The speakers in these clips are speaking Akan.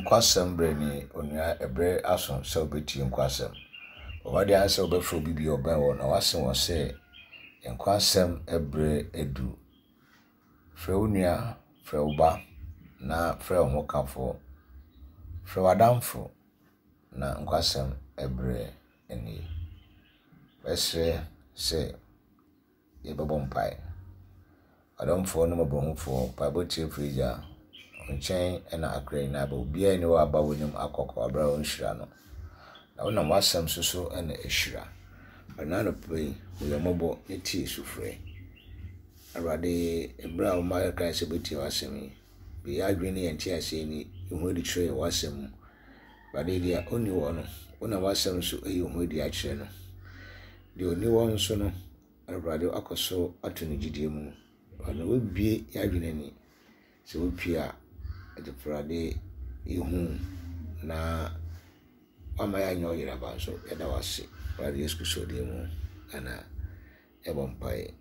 Nkwasɛm berɛ ni, onua, ɛberɛ aso sɛ wobɛtie nkwasɛm. Bɔ mmɔden ara sɛ wobɛfrɛ obi bi a ɔbɛn wo na woase wɔn sɛ nkwasɛm berɛ adu. Frɛ wo nua, frɛ wo ba, na frɛ wo hokafoɔ. Frɛ w'adamfo na nkwasɛm berɛ nie. Mɛsrɛ sɛ yɛbɛbɔ mpae. Ɔdomfoɔ ne mmɔborɔhunufoɔ, mpaebɔ tiefoɔ Agya, wo nkyɛn na akra nyinaa ba. Obiara nni hɔ a aba w'anim akɔ kwa berɛ a wonhyira no. Na wonam w'asɛm so so na ɛhyira. Ɛna anɔpa yi, hu yɛn mmɔbɔ na tie sufrɛ. Awurade, ɛberɛ a woma yɛkae sɛ bɛtie w'asɛm yi, bue yɛn adwene ne yɛn nteaseɛ ani, yi ho adi kyerɛ yɛn w'asɛm mu. Awurade, deɛ ɔnni hɔ no, wonam w'asɛm so ayi wo ho adi akyerɛ no. Deɛ ɔni hɔ nso no, Awurade akɔ so ato no gyidie mu. Ɔno wabue y'adwene ani sɛ wopue a Awurade yɛhu na wama yɛanyɛ ɔyeraba nso yɛda wo ase Awurade Yesu Kristo din mu ɛna yɛbɔ mpaeɛ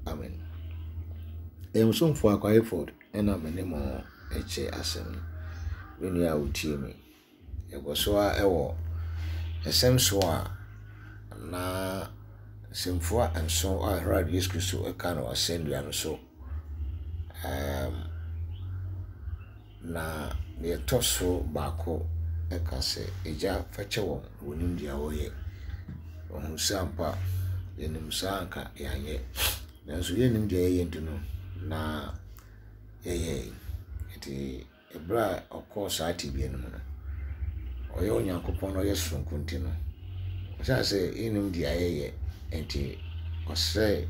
amen. Ɛyɛ mo somfoɔ Akwa Hayford ɛna me ne mo ɛkyɛ asɛm yi. Me nua a wotie me. Yɛkɔ so ara wɔ nsɛm so a na nsɛmfua nson a Awurade Yesu Kristo ka no asɛnnua no so. Ɛɛm na deɛ ɛtɔ so baako ka sɛ, Agya fa kyɛ wɔn, wɔnnim deɛ wɔreyɛ. Wɔhunu sɛ ampa yɛnim saa anka yɛanyɛ. Nanso yɛnnim deɛ yɛyɛ nti no na yɛyɛe. Nti Bere a ɔkɔɔ saa tebea no mu no, ɔyɛ Onyankopɔn na ɔyɛ soronko nti no, ɔhyɛɛ sɛ yɛnnim deɛ yɛyɛ nti ɔsrɛɛ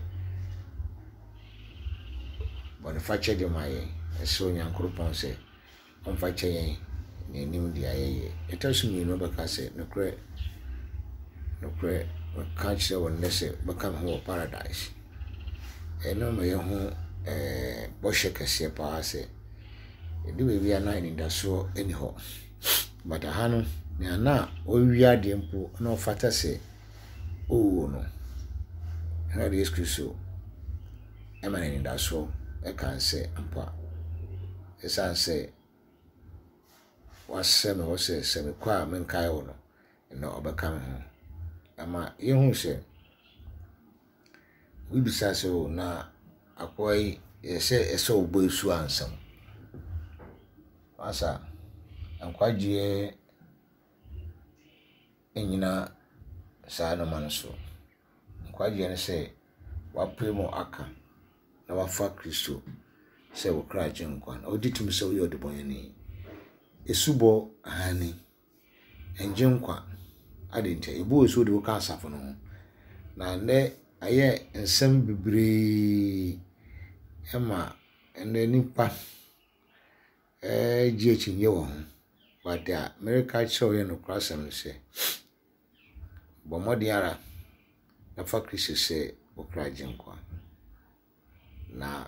bɔnefakyɛ de ma yɛn. Ɛsrɛ Onyankopɔn sɛ ɔmfa kyɛ yɛn na yɛnnim deɛ yɛyɛ. Ɛtɔ so mmienu ɔbɛka sɛ, nokorɛ, nokorɛ, meka kyerɛ wo nnɛ sɛ wobɛka me ho wɔ paradise. Ɛno ma yɛhu ɛɛ bɔhyɛ kɛseɛ paa sɛ Ɛdu baabi a na anidasoɔ nni hɔ. But aha no, nea na ɔrewia adeɛ mpo na ɔfata sɛ ɔwuo no, Awurade Yesu Kristo ma no anidasoɔ ka sɛ ampa, ɛsiane sɛ wasrɛ me hɔ sɛ sɛ mekɔ a menkae wo no, na ɔbɛka me ho. Ɛma yɛhu sɛ Obi bisaa sɛ, O, na akoa yi, ɛsɛ ɛsɛ ɔbɔ asu ansa? Masa, nkwagyeɛ nnyina saa nnoɔma no so. Nkwagyeɛ ne sɛ woapae mu aka na woafa Kristo sɛ wo kra agyenkwa na wogye tom sɛ woyɛ ɔdebɔneyɛni. Asubɔ, aane. Ɛngye nkwa. Adɛn ntia? Yɛbɔ wo asu de wo ka asafo no ho. Na nnɛ ayɛ nsɛm bebree ma nnɛ nnipa gye akyinnye wɔ ho. But deɛ mereka akyerɛ wo yɛ nokorasɛm ne sɛ, bɔ mmɔden ara na fa Kristo sɛ wo kra Agyenkwa. Na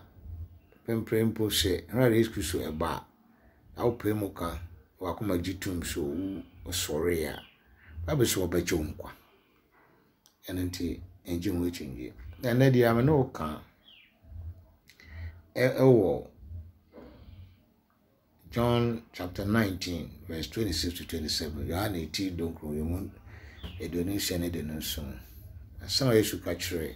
mprempren mpo sɛ Awurade Yesu Kristo ba a, na wopae mu ka na w'akoma gye tom sɛ owu ɔsɔree a, Bible sɛ ɔbɛgye wo nkwa. Ɛno nti, ɛngye ho akyinnye. Na ɛnɛ deɛ me ne wo ka ɛwɔ John chapter 19 verse 26 to 27, Yohane ti dunkron yi mu 26 ne 27. Asɛm a Yesu ka kyerɛɛ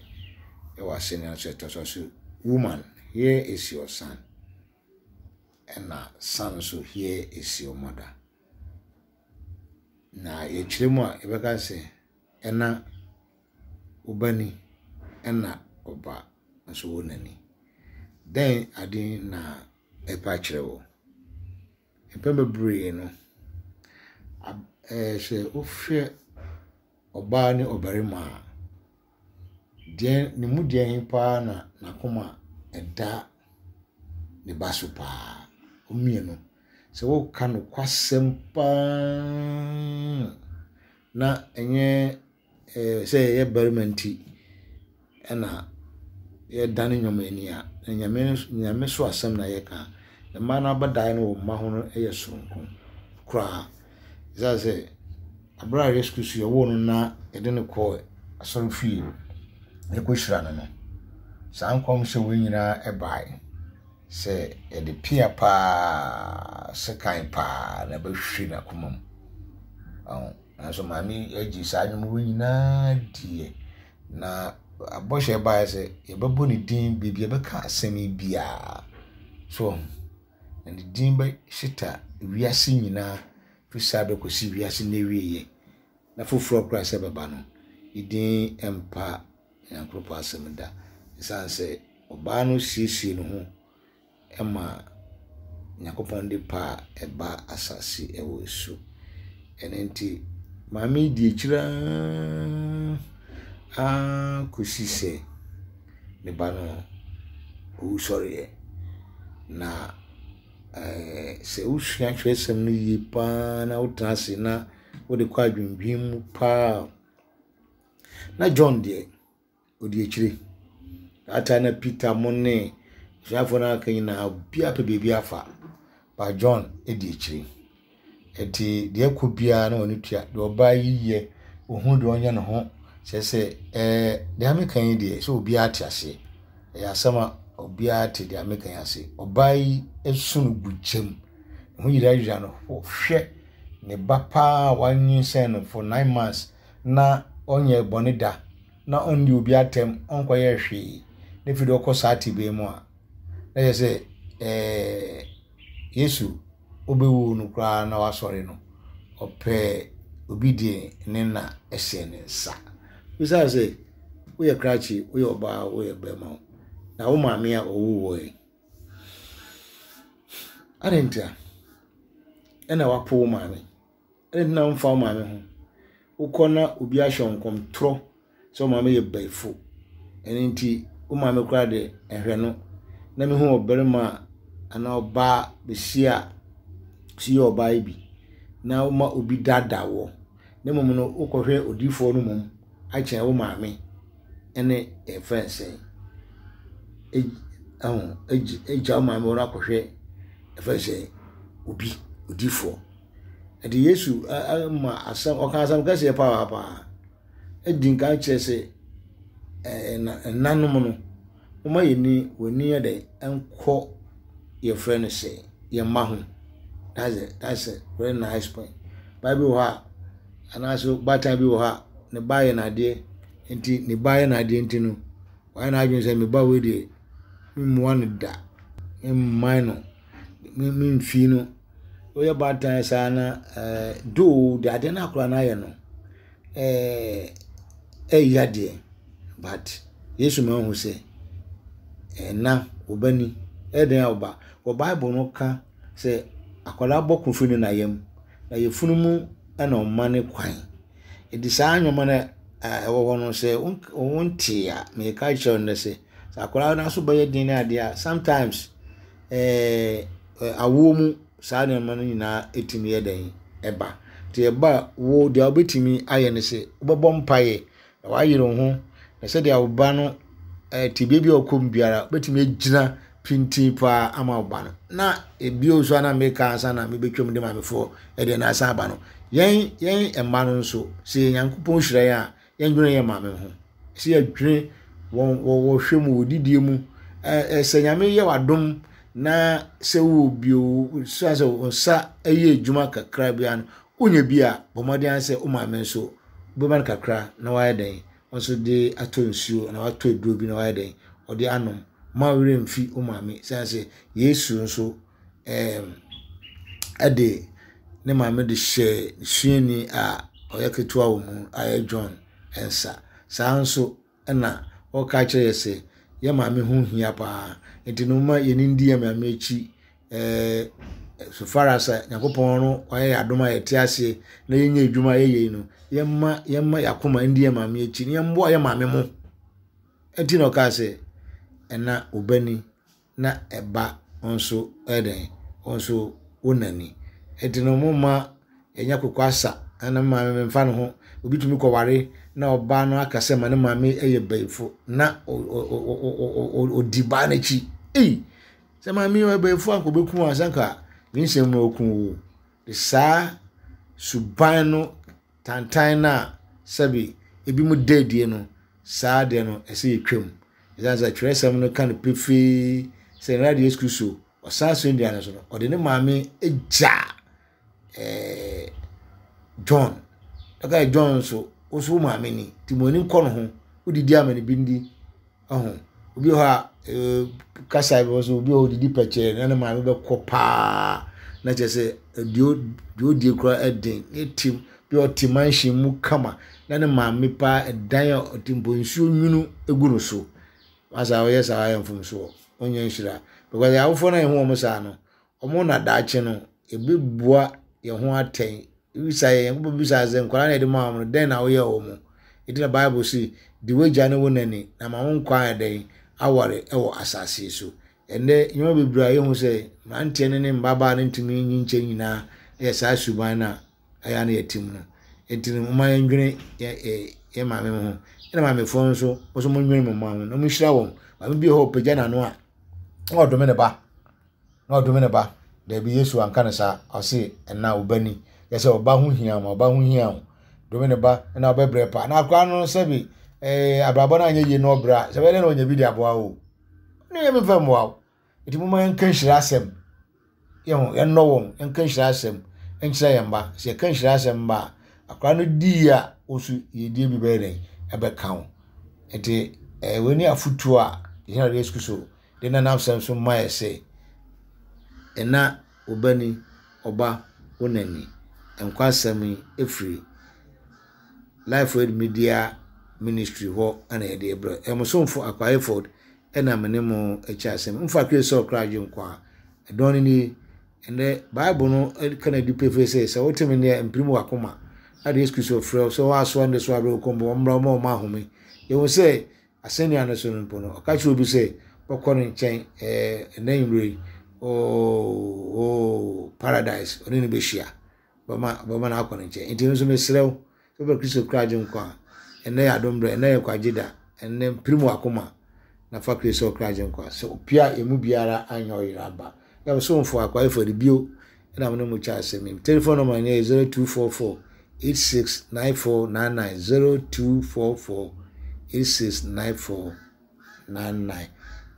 wɔ asɛnnua so ɛtɔ so so, Woman, here is your son. Ɛna son nso, here is your mother. Na yɛkyerɛ mu a, yɛbɛka sɛ ɛna wo ba ni, ɛna ɔba nso wo na ni. Dɛn ade na ɛpɛ akyerɛ wo. Mpɛn bebree no, ab ɛɛ sɛ wohwɛ ɔbaa ne ɔbarima a, deɛ ne mu deɛ he paa na n'akoma da ne ba so paa? Wɔn mmienu. Sɛ woka nokwasɛm paa na ɛnyɛ Ɛɛ sɛ yɛyɛ barima nti na yɛdane nneɛma ani a, Nyame Nyame so asɛm na yɛka. Mmaa no abadaeɛ no wɔ mma ho no yɛ soronko koraa. Ɛsiane sɛ berɛ a Yesu Kristo yɛwoo no na yɛde no kɔɔ asɔrefie yɛkɔhyira no no, saa nkɔmhyɛ wei nyinaa baeɛ. sɛ yɛde pea paa, sekan paa na ɛbɛhwe n'akoma mu. Ɔho. Nanso maame yi agye saa nnwom wei nyinaa diiɛ. Na bɔhyɛ baeɛ sɛ yɛbɛbɔ ne din baabi a yɛbɛka asɛm yi biara. So ɔho. Na ne din bɛhyeta wiase nyinaa firi saa berɛ kɔsi wiase no awieeɛ. Na foforɔ koraa sɛ ɛbɛba no, ne din mpa Nyankopɔn asɛm da. Esiane sɛ ɔbaa no siesie ne ho ma Nyankopɔn de pa a ɛba asase wɔ su. Ɛno nti, maame yi di akyire ara kɔsi sɛ ne ba no owusɔreɛ. Na ɛɛ sɛ wosua twerɛsɛm no yie pa ara na wotena ase na wode kɔ adwendwene mu pa ara a, Na John deɛ, ɔdi akyire. That time na Peter mo ne asuafoɔ no aka nyinaa obiara pɛ baabi afa. But John di akyire. Nti deɛ ɛkɔ biara na ɔne tua. Deɛ ɔbaa yi yɛ, ɔhunu deɛ ɔnyɛ ne ho. Kyerɛ sɛ ɛɛ deɛ meka yi deɛ sɛ obiara te aseɛ. Ɛyɛ asɛm a obiara te deɛ meka yi ase. Ɔbaa yi su no gu gyam. Ne ho yerayera no. Hwɛ ne ba paa a wanyinsɛn no for 9 months na ɔnyɛɛ bɔne da, na ɔnni obi atɛm, ɔnkɔyɛɛ hwee, na afei deɛ ɔkɔ saa tebea mu a, na kyerɛ sɛ ɛɛ Yesu ɔbɛwu no koraa na wasɔre no, ɔpɛɛ obi deɛ ne na hyɛ ne nsa. Bisa sɛ, woyɛ krakye, woyɛ ɔbaa, woyɛ bɛrima, na wo maame a ɔwoo wɔ yi, adɛn ntia ɛna wapo wo maame? Adɛn nti na womfa wo maame ho? Wokɔ na obi ahyɛ wo nkɔmtorɔ sɛ wo maame yɛ bayifo. Ɛno nti, wo maame koraa de, nhwɛ no. Na mehu ɔbarima a anaa ɔbaa besia a si yɛ ɔbaa yi bi na woma obi daadaa woɔ. Na mmom no, wokɔhwɛ odiyifoɔ no mmom akyɛn wo maame ne yɛfrɛ no sɛn, ɛho agya wo maame hɔ no akɔhwɛ yɛfrɛ no sɛn, obi, odiyifoɔ. Ɛnti Yesu ma asɛm, ɔka asɛm kɛseɛ papaapa. Ɛdi nkan kyerɛ sɛ ɛnanom no, momma yɛn ani, wɔn ani yɛ dɛ nkɔ yɛfrɛ no sɛ yɛn mma ho. That's a, that's a very nice point. Baa bi wɔ hɔ a, anaasɛ baatan bi wɔ hɔ a, ne ba yɛ n'adeɛ nti ne ba yɛ n'adeɛ nti no, wayɛ n'adwene sɛ me ba wei deɛ, memmoa no da, memman no, memfii no. Woyɛ baatan saa na ɛɛ though deɛ adeɛ no akwadaa no ayɛ no ɛɛ ɛyɛ deɛ but Yesu ma wohu sɛ ɛna wo ba ni ɛyɛ den a wo ba. Wɔ Bible no ka sɛ akwadaa bɔ ko firi ne na yam na yafunu mu na ɔma ne kwan. Nti saa nneɛma no a ɛwɔ hɔ no sɛ wonte a meka kyerɛ wo nnɛ sɛ sɛ akwadaa no aso bɛyɛ den ne adeɛ a sometimes ɛɛ awoɔ mu saa nneɛma no nyinaa tumi yɛ dɛn ɛba. Nti ɛba a, wo deɛ wobɛtumi ayɛ ne sɛ wobɛbɔ mpaeɛ na woayere wo ho na sɛdeɛ wo ba no ɛɛ tebea bi a ɔkɔ mu biara wobɛtumi agyina pintinn paa ama wo ba no. Na ebio nso a na meka ansa na mebɛtwam de maamefoɔ ɛdeɛ no asan aba no, yɛn yɛn mma no nso sɛ yɛn Nyankopɔn hyira yɛn a yɛndwene yɛn maame ho. Sɛ yɛdwene wɔn wɔ wɔhwɛ mu wɔ didie mu. Ɛɛ sɛ Nyame yɛ w'adom na sɛ wowɔ bio sɛ sɛ wo nsa yɛ adwuma kakra biara no, wonya bi a, bɔ mmɔden ara sɛ wo maame nso wobɛma no kakra na wayɛ dɛn, ɔno nso de atɔ nsuo anaa watɔ aduro bi na wayɛ dɛn, ɔde anom. Mma wo werɛ mfi wo maame sɛne sɛ Yesu nso ɛɛm ɛde ne maame de hyɛɛ ne suani a ɔyɛ ketewa wɔ mu a ɛyɛ John nsa. Saa ara nso na ɔreka akyerɛ yɛ sɛ yɛn maame ho hia paa. Nti no momma yɛn ndi yɛn maame akyi ɛɛ so far as a Nyankopɔn no wayɛ yɛn adom a yɛte aseɛ na yɛnyɛ adwuma a yɛyɛ yi no, yɛmma yɛmma yɛn akoma ndi yɛn maame akyi na yɛmmoa yɛn maame mo. Nti na ɔkaa sɛ, ɛna wo ba ni. na ɛba wo nso ɛyɛ dɛn, wo nso wo na ni. Nti no momma yɛnyɛ kokoasa na me maame memfa ne ho. Obi tumi kɔware na ɔbaa no aka sɛ ma ne maame yɛ bayifo na ɔdi baa no akyi. Ei, sɛ maame yi ɔyɛ bayifo anka ɔbɛku a sɛ anka ne nsɛm mu ɔku wo. Saa suban no tantan no a sɛbe ebinom da adie no, saa deɛ no ɛsɛ yɛtwam. Ɛsiane sɛ twerɛsɛm no ka no pefee. Sɛ Awurade Yesu Kristo ɔsan asɛnnua no so no, ɔde ne maame gyaa ɛɛ John. Ɛka John nso, wo nso wo maame ni, nti mo ani nkɔ ne ho, wodidi ama ne bi ndi. Ɔho, obi wɔ hɔ a, ɛɛ kasa bi wɔ so, obi wɔ hɔ odidi pɛkyɛɛ na ne maame bɛkɔ paa, na kyerɛ sɛ deɛ deɛ odie koraa ɛden, ne te bi a ɔte mansion mu kama, na ne maame paa ɛdan a ɔte mpo nsuo nwunu egu no so. Wasa ɔyɛ saa ayɛ mfomsoɔ, ɔnyɛ nhyira. Because awofoɔ no a yɛhu wɔn saa no, wɔn na daakye no ɛbɛbua yɛn ho atɛn. Ebisa yɛn, Nyankopɔn bisa sɛ nkwadaa na yɛde maa wɔn no, dɛn na woyɛɛ wɔn? Enti na Bible se, di w'agya ne wo na ni, na ma wo nkwa ayɛ dɛn? Aware wɔ asase yi so. Ɛnnɛ, nneɛma bebree a yɛhu sɛ mmeranteɛ no ne mmabaa no ntumi nyi nkyɛn nyinaa yɛ saa suban no a ɛyɛ a na yɛte mu no. Enti no, momma yɛndwene yɛn maame ho. Ɛna maamefoɔ nso, mo nso monnwene mo mma ho na monhyira wɔn. Maame bi wɔ hɔ a ɔpagya n'ano a, na ɔdome ne ba. Na ɔdome ne ba. Dabi, Yesu anka no saa. Ɔse, ɛna wo ba ni. Yɛ sɛ ɔba ho hia ma ɔba ho hia o. Dome ne ba na ɔbɛbrɛ pa. Na akora no sɛbi eh, abrabɔ no anyɛ yie na ɔbrɛ a, sɛ bɛyɛ dɛ na ɔnya bi de aboa wo. Ne yɛ memfa mmoa wo. Nti momma yɛnka nhyira asɛm. Yɛ ho, yɛnnɔ wɔn, yɛnka nhyira asɛm nkyerɛ yɛn mma. Sɛ yɛka nhyira asɛm ba a, akora no di yie a, wo nso yiedie bi bɛyɛ dɛn? Ɛbɛka wo. Nti eh, wei ne afotuo a yɛn Awurade Yesu Kristo de na n'asɛm so ma yɛ sɛ, Ɛna wo ba ni, ɔba wo na ni. Nkwa asɛm yi firi Life Word Media Ministry hɔ na yɛde rebrɛ. Ɛyɛ mo somfo Akwa Hayford na me ne mo kyɛ asɛm. Mfa Kristo sɛ ɔkra agyenkwa a, ɛdɔn no nie. Ɛnɛ Bible no ka no adi pefee sɛ, sɛ wote me nne a, mpirim w'akoma. Na de Yesu Kristo frɛ wo sɛ wɔasoa ne so abrɛ wo kɔn bɔ, ɔmmra ɔma ɔma ahome. Yɛhu sɛ Asɛnnua no so no mpo no, ɔka kyerɛɛ obi sɛ ɔkɔ ne nkyɛn ɛɛ ɛnɛ anwummere yi, oo oo paradise, ɔne no bɛhyia. Ɔbɛma ɔbɛma no akɔ ne nkyɛn. Nti nso mesrɛ wo, sɛ wopɛ Kristo kra agye nkwa a, ɛnnɛ yɛ adom berɛ, ɛnnɛ yɛ nkwagye da, ɛnnɛ mpirim w'akoma na fa Kristo sɛ ɔkra agye nkwa. Sɛ opia a, yɛn mu biara anyɛ ɔyera aba. Yɛ ɔsomfo Akwa Efo de bio ɛna mo ne mo kyɛ asɛm yi. Telephone number no yɛ 0244 869499 0244 869499.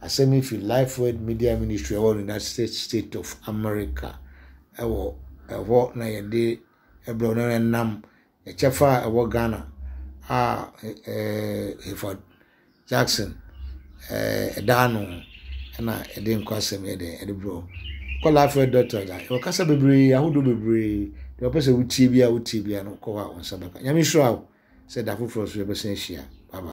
Asɛm yi fi Life Word Media Ministry ɛwɔ United States of America ɛwɔ ɛhɔ na yɛde ɛbrɛ no ɛnam ɛkyɛfa a ɛwɔ Ghana a ɛɛ Hayford Jackson ɛda ano na ɛde nkwasɛm yɛ dɛn ɛde brɛ wo. Kɔ Lafayette Doctor a, yɛwɔ kasa bebree, ahodoɔ bebree. Deɛ wɔpɛ sɛ wotie biara wotie biara no, kɔ hɔ a wo nsa bɛka. Nyame nhyira wo sɛ da foforɔ so yɛbɛsan ahyia. Bye bye.